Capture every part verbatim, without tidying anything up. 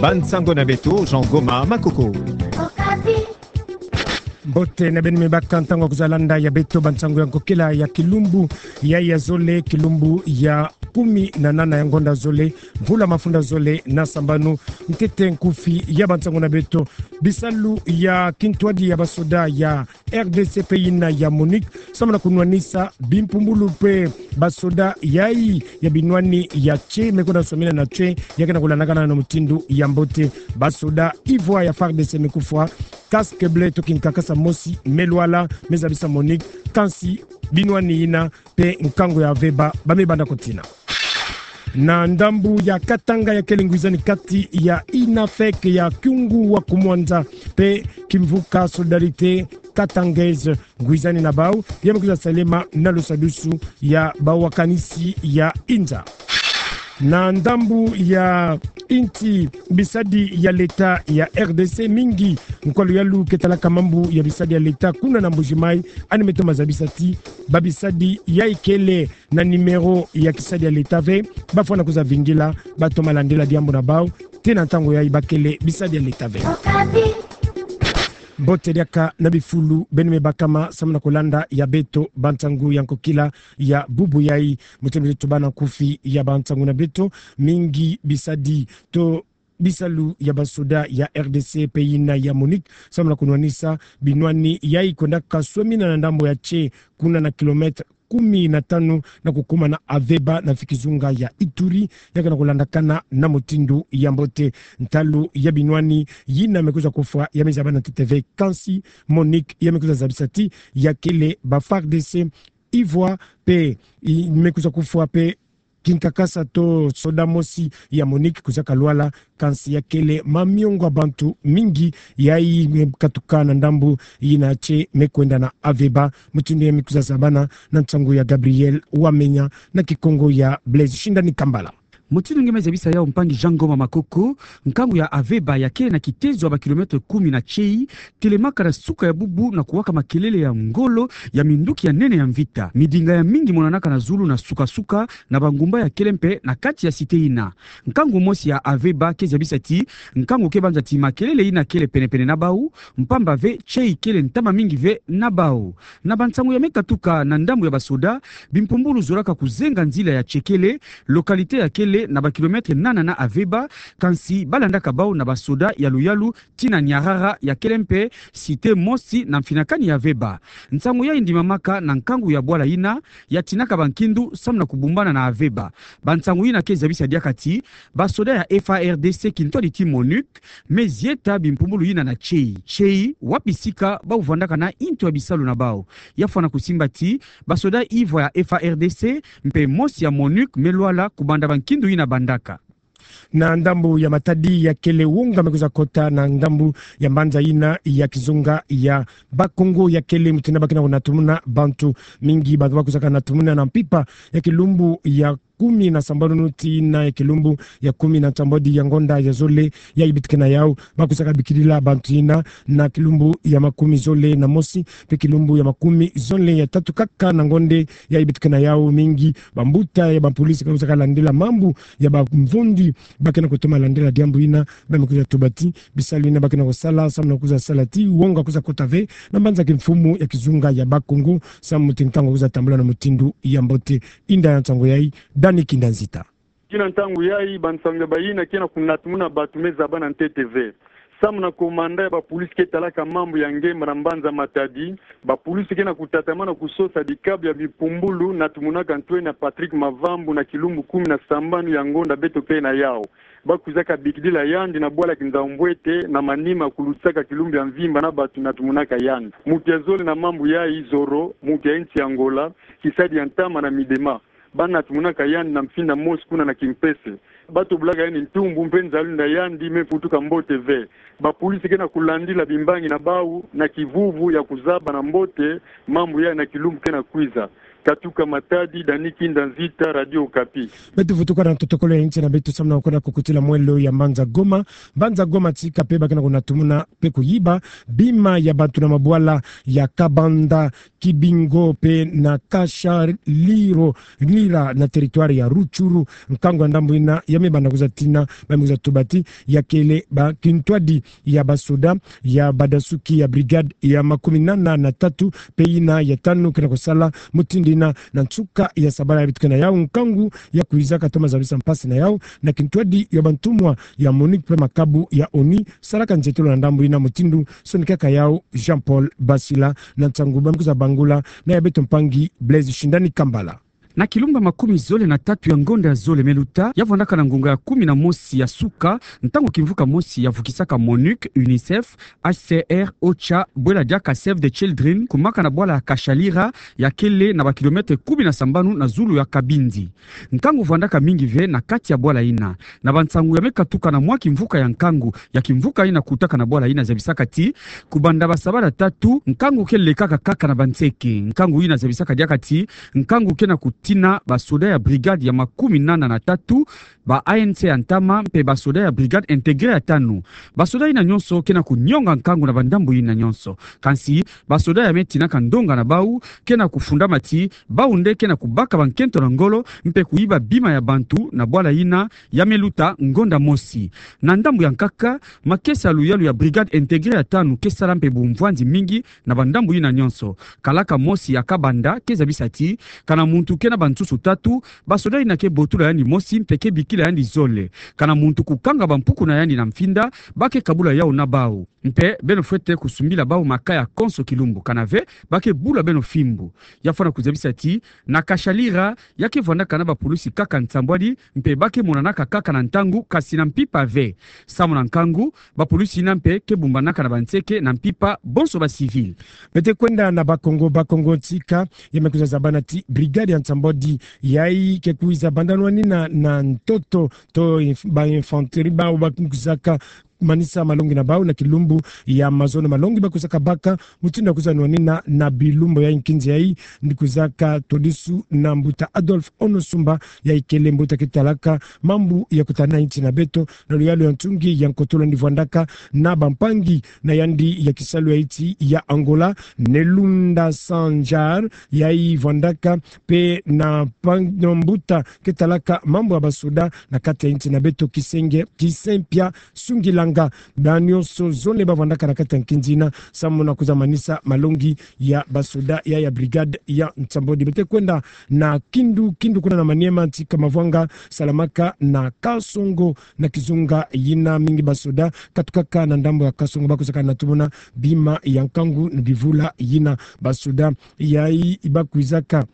Bansango na beto, Jean Goma Makoko. Mbote na beno me baka ntangu ya kwiza landa ya beto bansango ya nkokila ya kilumbu ya, ya zole, kilumbu ya kumi na nana ya ngonda zole, mvula mafunda zole na sambanu. Ntete nkufi ya bansango na beto: bisalu ya kintwadi ya basoda ya R D C mpe yina ya MONUC, samu na kunwanisa bimpumbulu mpe basoda yayi ya binwani ya tse me kwenda swamina na tse, ya ke na kulandakana na mutindu ya mbote. Basoda ivwa ya FARDC me kufwa, casque bleu to kinkakasa mosi me lwala, me zabisa MONUC, kansi binwani yina mpe nkangu ya AVEBA ba me banda ko tina. Na ndambu ya Katanga, ya kele ngwizani kati ya INAFEC ya Kyungu wa kumwanza mpe kimvuka Solidarité Katangaise, ngwizani na bau ya me kwiza salema na lusadusu ya bawakanisi ya inza. Na ndambu ya insi, bisadi ya leta ya R D C mingi, nkwa luyalu ke talaka mambu ya bisadi ya leta kuna na Mbuji-Mayi, ani me toma zabisa ti babisadi yayi kele na numéro ya kisadi ya leta ve, bafwana kwiza vingila, batoma landila diambu na bau, ti na ntangu yayi ba kele bisadi ya leta ve. Mbote diaka na bifulu beno me bakama samu na kulanda ya beto bansango ya nkokila ya bubu yayi. Mutindu tubana nkufi ya bansango na beto, mingi bisadi to bisalu ya basoda ya R D C mpe yina ya MONUC, samu na kunwanisa binwani yayi kwendaka swamina na ndambu ya tse, kuna na kilomètre kumi na tanu na kukuma na AVEBA na fi kizunga ya Ituri, ya ke na kulandakana na mutindu ya mbote. Ntalu ya binwani yina me kwiza kufwa ya me zabana ntete ve, kansi MONUC ya me kwiza zabisa ti ya kele ba FARDC ivwa mpe i-, me kwiza kufwa mpe kinkakasa to soda mosi ya MONUC kwizaka lwala, kansi ya kele mamiongo ya bantu mingi yayi me katuka na ndambu yina tse me kwenda na AVEBA. Mutindu ya me kwiza zabana na nsangu ya Gabriel Wamenya na Kikongo ya Blaise Shindani Kambala. Mutindu nge me zabisa yau, mpangi Jean Ngoma Makoko, nkangu ya AVEBA ya kele na kitezo ya ba kilomètre kumi na tse, telemaka na suka ya bubu na kuwaka makelele ya ngolo ya minduki ya nene ya mvita. Midinga ya mingi monanaka na zulu na suka-suka na bangumba ya kele mpe na kati ya cité yina. Nkangu mosi ya AVEBA ke zabisa ti nkangu ke banza ti makelele yina kele pene-pene na bau, mpamba ve tse ikele ntama mingi ve na bau. Na bansangu ya me katuka na ndambu ya basoda, bimpumbulu zolaka kuzenga nzila ya tse kele, localité ya kele na ba kilomètre nana na AVEBA, kansi ba landaka bau na basoda ya luyalu ti na Niarara ya kele mpe cité mosi na mfinakani ya AVEBA. Nsangu yayi ndimamaka na nkangu ya bwala yina ya tinaka bankindu samu na kubumbana na AVEBA. Bansangu yina ke zabisa diaka ti basoda ya FARDC, kintwadi ti MONUC, me zieta bimpumbulu yina na tse. Tse, wa bisika bau vandaka na intu ya bisalu na bau. Ya fwana kusimba ti basoda ivwa ya FARDC mpe mosi ya MONUC me lwala kubanda bankindu yina bandaka. Na ndambu ya Matadi, ya kele wonga me kwiza kota na ndambu ya mbanza yina ya kizunga ya Bas-Congo, ya kele mutindu ba ke na kunatumuna bantu mingi, bantu ba kwizaka natumuna na mpimpa ya kilumbu ya kumi na sambanu tii na ya kilumbu ya kumi na nsambwadi ya ngonda ya zole yayi beto ke na yau. Ba kwizaka bikidila bantu yina na kilumbu ya makumi zole na mosi mpe kilumbu ya makumi zole ya tatu kaka na ngonda yayi beto ke na yau. Mingi bambuta ya bapolisi ba kwizaka landila mambu ya bamvundi, ba ke na kutoma landila diambu yina, ba me kwiza tuba ti bisalu yina ba ke na kusala samu na kwiza sala ti wonga kwiza kota ve na mbanza kimfumu ya kizunga ya Bas-Congo, samu ti nkangu kwiza tambula na mutindu ya mbote. Inda ya nsangu yayi, Dani Kinda Nzita. Tii na ntangu yayi, bansangu ya bayina ke na kunatumuna bantu me zabana ntete ve. Samu na komanda ya bapolisi ke talaka mambu ya ngemba na mbanza Matadi, bapolisi ke na kutatamana kusosa bikabu ya bimpumbulu natumunaka ntwenia Patrick Mavambu na kilumbu kumi na sambanu ya ngonda beto ke na yau. Ba kwizaka bikidila yandi na bwala Kinzau-Mbwete, na manima kulutisaka kilumbu ya mvimba na bantu natumunaka yandi. Mutu ya zole na mambu yayi, Zoro, mutu ya insi ya Angola, kisadi ya ntama na midema. Ba natumunaka yandi na mfinda mosi kuna na kimpese. Ba tobolaka yandi ntumbu mpe nzalundu ya yandi me futuka mbote ve. Bapolisi ke na kulandila bimbangi na bau na kivuvu ya kuzaba na mbote mambu yayi na kilumbu ke na kwiza. Katuka Matadi, Dani Kinda Nzita, Radio Okapi. Beto vutuka na totokolo ya nsi na beto samu na kwenda kukutila mwelo ya mbanza Goma. Mbanza Goma tika pe ba kena kunatumuna pe kuyiba bima ya bantu na mabwala ya Kabanda, Kibingo pe na Kashaliro, Lira na territoire ya Rutshuru. Nkangu ya ndambu ina ya me banda kuza tina, ba me kuza tuba ti ya kele ba kintwadi ya basoda ya badasuki ya brigade ya makumi nana na tatu pe ina ya tanu kena kusala mutindu ina na nsuka ya sabala ya beto kena yau. Nkangu ya kwiza katoma zabisa mpasi na yau na kintwadi ya bantumwa ya MONUC pe makabu ya ONU salaka nzietolo na ndambu ina mutindu sonikaka yau Jean-Paul Basila. Na nsangu ba me kuza bangula na ya beto mpangi Blaise Shindani Kambala. Na kilumbu ya makumi zole na tatu ya ngonda ya zole me luta, ya vwandaka na ngonga ya kumi na mosi ya suka, ntangu kimvuka mosi ya vukisaka MONUC, UNICEF, H C R, OCHA, bwela diaka Save the Children, kumaka na bwala ya Kashalira, ya kele na ba kilomètre kumi na sambanu na zulu ya Kabindi. Nkangu vwandaka mingi ve na kati ya bwala ina. Na bansangu ya me katuka na mwa kimvuka ya nkangu, ya kimvuka ina kutaka na bwala ina zabisaka ti, kubanda ba sabala tatu, nkangu ke lekaka kaka na banseke. Nkangu ina zabisaka diaka ti, nkangu kena kutina basoda ya brigade ya makumi nana na tatu, ba A N C ya ntama, mpe basoda ya brigade intégrée ya tanu. Basoda ina nyonso kena kunionga nkangu na bandambu ina nyonso. Kansi, basoda ya me tinaka ndonga na bau, kena kufundama ti, bau nde kena kubaka bankento na ngolo, mpe kuyiba bima ya bantu na bwala ina ya me luta ngonda mosi. Na ndambu ya nkaka, makesa ya luyalu ya brigade intégrée ya tanu ke sala mpe bumvwanzi mingi na bandambu ina nyonso. Kalaka mosi ya Kabanda ke zabisa ti, kana muntu kena bansusu tatu, basoda ina ke botula yandi mosi mpe ke bikila yandi zole. Kana muntu kukanga bampuku na yandi na mfinda, ba ke kabula yau na bau. Mpe beno fwete kusumbila bau makaya konso kilumbu, kana ve ba ke bula beno fimbu. Ya fwana kuzabisa ti, na Kashalira, ya ke vwandaka na bapulusi kaka nsambwadi, mpe ba ke monanaka kaka na ntangu, kasi na mpimpa ve. Samu na nkangu, bapulusi ina mpe ke bumbanaka na banseke na mpimpa bonso ba civil. Beto kwenda na Bas-Congo, Bas-Congo tika, ya me kwiza zabana ti brigade ya nsambwadi yayi ke kwiza banda nwanina na ntoto, to inf-, ba infanterie, bau ba kwizaka manisa malongi na bau na kilumbu ya mazono malongi ba kwizaka baka, mutindu ya kwiza nwanina na bilumbu ya nkinzi yayi, ni kwizaka todisu na mbuta Adolphe Onosumba, yayi kele mbuta ke talaka mambu ya kutana insi na beto, na luyalu ya nsungi ya nkotolo ni vwandaka na bampangi na yandi ya kisalu ya insi ya Angola, Nelunda Sanjar, yayi vwandaka mpe na pang-, na mbuta ke talaka mambu ya basoda na kati ya insi na beto Kisenge, Kisempia Sungilanga. Ba nyonso zole ba vwandaka na kati ya nkinzi ina, samu na kwiza manisa malongi ya basoda ya, ya brigade ya nsambwadi. Beto kwenda na Kindu, Kindu kuna na Maniema, tika mavwanga salamaka na Kasongo, na kizunga yina mingi basoda katukaka na ndambu ya Kasongo ba kwizaka natumuna bima ya nkangu na bivula yina. Basoda yayi ba kwizaka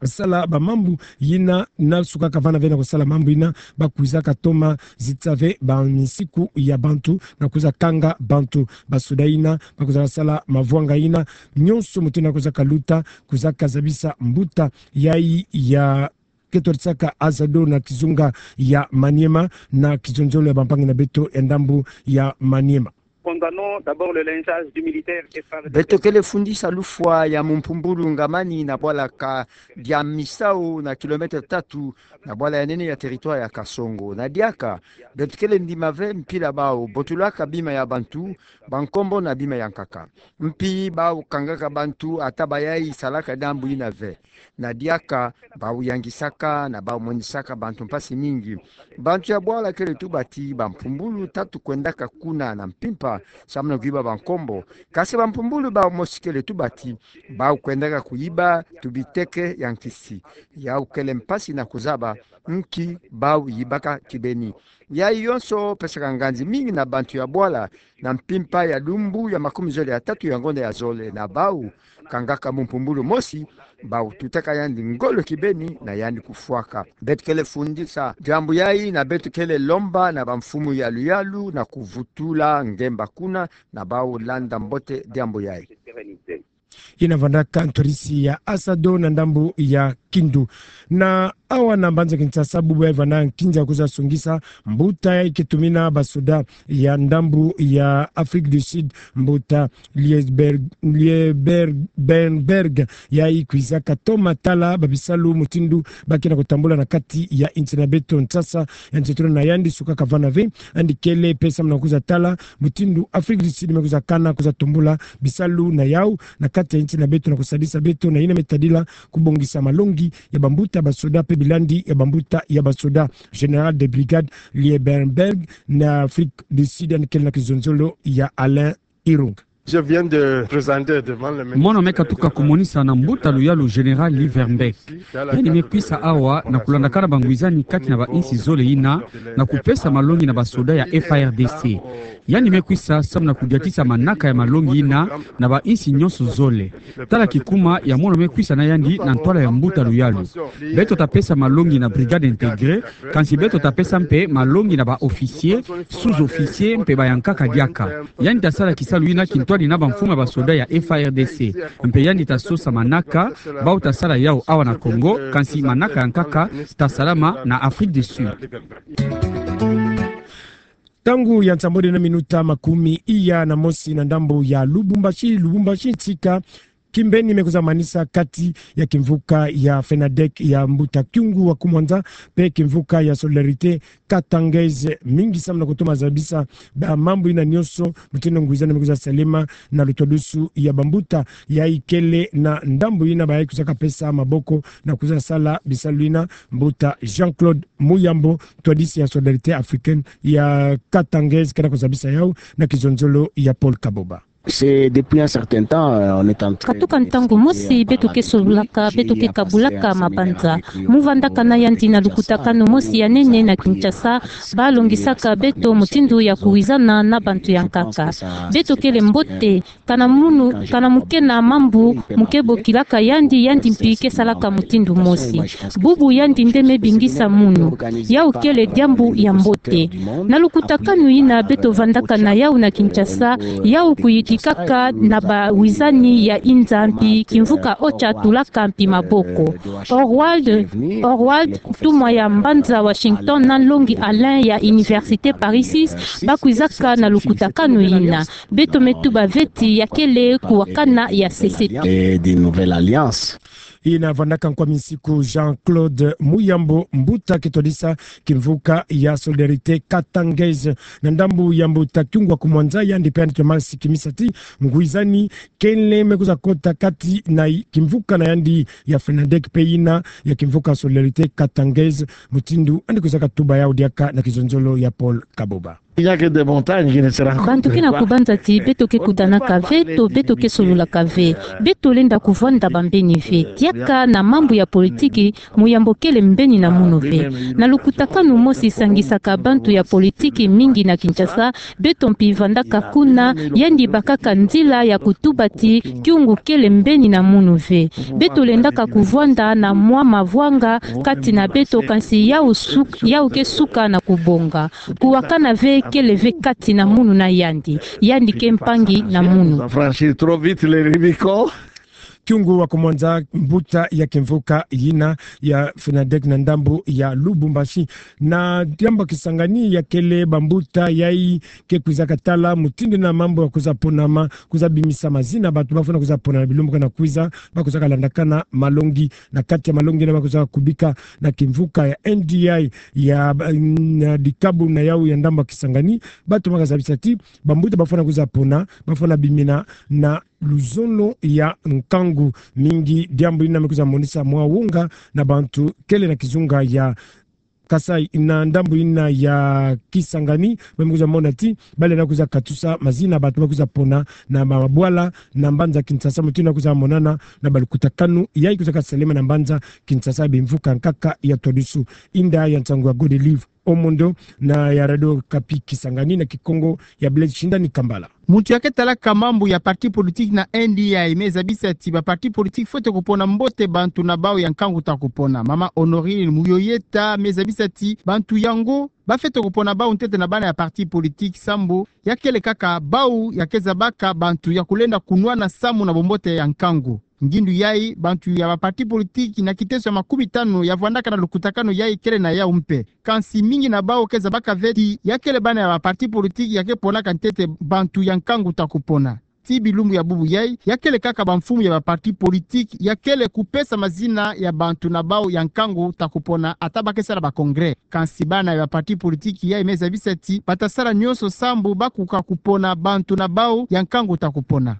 sala bamambu yina, na suka kavana ve na kusala mambu yina, ba kwizaka toma zitisa ve bansiku ya bantu na kwiza kanga bantu. Basoda yina ba kwizaka sala mavwanga yina nyonso, mutindu ya kwizaka luta, kwizaka zabisa mbuta yayi ya ke todisaka Azado na kizunga ya Maniema, na kizonzolo ya bampangi na beto ya ndambu ya Maniema. Condamnons d'abord le lynchage du militaire Efrare. Beto kele fundisa lufwa ya mumpumbulu ngamani na bwala ka Diamisau, na kilomètre tatu na bwala ya nene ya territoire ya Kasongo. Na diaka, beto kele ndima ve mpila bau botulaka bima ya bantu, bankombo na bima ya nkaka. Mpi bau kangaka bantu, ata bayayi salaka ndambu yina ve. Na diaka, bau yangisaka na bau monisaka bantu mpasi mingi. Bantu ya bwala kele tuba ti bampumbulu tatu kwendaka kuna na mpimpa, samu na kuyiba bankombo. Kasi bampumbulu bau mosi kele tuba ti bau kwendaka kuyiba tubiteke ya nkisi. Yau kele mpasi na kuzaba nki bau yibaka kibeni. Yayi yonso pesaka nganzi mingi na bantu ya bwala na mpimpa ya lumbu ya makumi zole ya tatu ya ngonda ya zole, na bau kangaka mumpumbulu mosi, bau tutaka yandi ngolo kibeni na yandi kufwaka. Beto kele fundisa diambu yayi, na beto kele lomba na bamfumu ya luyalu na kuvutula ngemba kuna, na bau landa mbote diambu yayi. Yina vandaka ntwarisi ya Azado na ndambu ya Kindu. Na Awa na mbanza Kinshasa, bubu yayi vana nkinza kwiza songisa mbuta yayi ke tumina basoda ya ndambu ya Afrique du Sud, mbuta Lieber-, Lieber-, Bernberg, yayi kwizaka toma tala babisalu mutindu ba ke na kutambula na kati ya insi na beto. Nsasa ya nsetolo na yandi sukaka vana ve, yandi kele mpe samu na kwiza tala mutindu Afrique du Sud me kwiza kana kwiza tumbula bisalu na yawu na kati ya insi na beto na kusadisa beto na yina me tadila kubongisa malongi ya bambuta basoda mpe bilandi ya bambuta ya basoda. Général de brigade Liebenberg na Afrique du Sud, yandi kele na kizonzolo ya Alain Irung. Je viens de présenter devant le ministre. Mono me katuka kumonisa na mbuta luyalu Général Liebenberg. Yandi me kwisa awa na kulandakana bangwizani kati na bainsi zole yina, na kupesa malongi na basoda ya F A R D C. Yandi me kwisa samu na kudiatisa manaka ya malongi yina na bainsi nyonso zole. Tala kikuma ya mono me kwisa na yandi na ntwala ya mbuta luyalu. Beto ta pesa malongi na brigade intégrée, kansi beto ta pesa mpe malongi na ba-officiers, sous-officiers mpe bayankaka diaka. Yandi ta sala kisalu yina kintwadi na bamfumu ya basoda ya F A R D C. Mpe yandi ta sosa manaka, bawu ta sala yawu awa na Congo, kansi manaka yankaka ta salama na Afrique du Sud. Ntangu ya nsambwadi na minuta makumi iya na mosi na ndambu ya Lubumbashi, Lubumbashi ntsika kimbeni me kwiza manisa kati ya kimvuka ya FENADEC ya mbuta Kyungu wa Kumwanza, mpe kimvuka ya Solidarité Katangais, mingi samu na kutoma zabisa bamambu yina nyonso, mutindu ngwizani me kwiza salema na lutwadusu ya bambuta yayi kele na ndambu yina bayayi kwizaka pesa maboko na kwiza sala bisalu yina, mbuta Jean-Claude Muyambo, twadisi ya Solidarité Africaine ya Katangais, ke na kuzabisa yawu na kizonzolo ya Paul Kaboba. C'est depuis un certain temps, euh, on est en train. Katuka ntangu mosi beto ke sololaka, beto ke kabulaka mabanza. Mu vandaka na yandi na lukutakanu mosi ya nene na Kinshasa, ba longisaka beto mutindu ya kuwizana na bantu ya nkaka. Beto kele mbote, kana munu, kana mu ke na mambu mu ke bokilaka yandi, yandi mpi ke salaka mutindu mosi. Bubu yandi nde me bingisa munu. Yawu kele diambu ya mbote. Na lukutakanu yina beto vandaka na yawu na Kinshasa, yawu kuyidikaka na bawizani ya inza mpi kimvuka OCHA tulaka mpi maboko. Orwald, Orwald, ntumwa ya mbanza Washington, na nlongi Alain ya Université Paris six, ba kwizaka na lukutakanu yina. Beto me tuba ve ti ya kele kuwakana ya sese. Et d'une nouvelle alliance. Yina vandaka nkwa minsiku Jean-Claude Muyambo, mbuta ke twadisa kimvuka ya Solidarité Katangais na ndambu ya mbuta Kyungu wa Kumwanza, yandi mpe yandi toma sikimisa ti ngwizani kele me kwiza kota kati na kimvuka na yandi ya FENADEC mpe yina ya kimvuka Solidarité Katangais, mutindu yandi kwizaka tuba yawu diaka na kizonzolo ya Paul Kaboba. Il n'y a que des montagnes qui ne se rencontrent pas. Bantu ke na kubanza ti beto ke kutanaka ve, to beto ke sololaka ve. Beto lenda kuvwanda bambeni ve. Diaka na mambu ya politiki, Muyambo kele mbeni na munu ve. Na lukutakanu mosi sangisaka bantu ya politiki mingi na Kinshasa, beto mpi vandaka kuna, yandi bakaka nzila ya kutuba ti Kyungu kele mbeni na munu ve. Beto lendaka kuvwanda na mwa mavwanga kati na beto, kansi yawu suk-, yawu ke suka na kubonga. Kuwakana ve kele ve kati na munu na yandi. Yandi ke mpangi na munu. Franchir trop vite le Rubicon. Kyungu wa Kumwanza, mbuta ya kimvuka yina ya FENADEC na ndambu ya Lubumbashi. Na diambu ya Kisangani ya kele bambuta yayi ke kwizaka tala mutindu na mambu ya kwiza ponama, kwiza bimisa mazina bantu bafwana kwiza pona na bilumbu ke na kwiza, ba kwizaka landakana malongi. Na kati ya malongi yina ba kwizaka kubika na kimvuka ya N D I ya, na dikabu na yawu ya ndambu ya Kisangani, ba tomaka zabisa ti bambuta bafwana kwiza pona, bafwana bimina na luzono ya nkangu mingi. Diambu yina me kwiza monisa mwa wonga na bantu kele na kizunga ya Kasaï, na ndambu yina ya Kisangani, ba me kwiza mona ti ba lenda kwiza katusa mazina bantu ba kwiza pona na mabwala na mbanza Kinshasa, mutindu kwiza monana na balukutakanu yayi kwizaka salema na mbanza Kinshasa, bimvuka nkaka ya twadusu. Inda ya nsangu ya Godelive Omondo na ya Radio Okapi Kisangani na Kikongo ya Blaise Shindani Kambala. Muntu ya ke talaka mambu ya parti politique na N D I me zabisa ti ba parti politique fwete kupona mbote bantu na bawu ya nkangu ta kupona. Mama Honorine Muyoyeta me zabisa ti bantu yango ba fwete kupona bawu ntete na bana ya parti politique sambu ya kele kaka bawu ya ke zabaka bantu ya kulenda kunwana samu na bumbote ya nkangu. Ngindu yayi, bantu ya baparti politiki na kiteso ya makumi tanu ya vwandaka na lukutakanu yayi kele na yawu mpe. Kansi mingi na bawu ke zabaka ve ti ya kele bana ya baparti politiki ya ke ponaka ntete bantu ya nkangu ta kupona. Ti bilumbu ya bubu yayi, ya kele kaka bamfumu ya baparti politiki ya kele kupesa mazina ya bantu na bawu ya nkangu ta kupona, ata ba ke sala ba congrès. Kansi bana ya baparti politiki yayi me zabisa ti ba ta sala nyonso sambu ba kuka kupona bantu na bawu ya nkangu ta kupona.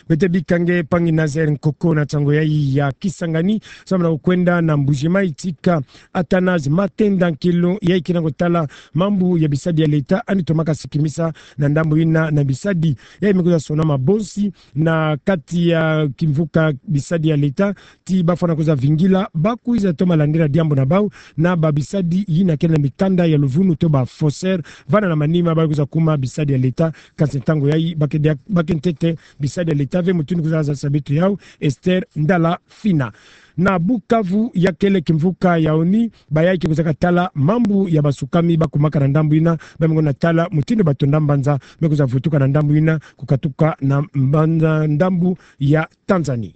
Beto bika nge mpangi Nazaire Nkoko na nsangu yayi ya Kisangani. Sambu na kukwenda na Mbuji-Mayi, tika Athanase Matenda Nkilu, yayi ke na kutala mambu ya bisadi ya leta, yandi tomaka sikimisa na ndambu yina na bisadi yayi me kwiza sonama bonsi na kati ya kimvuka bisadi ya leta, ti ba fwana kwiza vingila, ba kwiza toma landila diambu na bawu na babisadi yina kele na mikanda ya luvunu to ba faussaires, vana na manima ba kwiza kuma bisadi ya leta. Kansi ntangu yayi ba ke dia-, ba ke ntete bisadi ya leta ve mutindu kwiza za sabitu yawu, Esther Ndala Fina. Na Bukavu, ya kele kimvuka ya ONU, bayayi ke kwizaka tala mambu ya basukami ba kumaka na ndambu yina, ba me ngiona tala mutindu bato na mbanza me kwiza vutuka na ndambu yina, kukatuka na mbanza ndambu ya Tanzanie.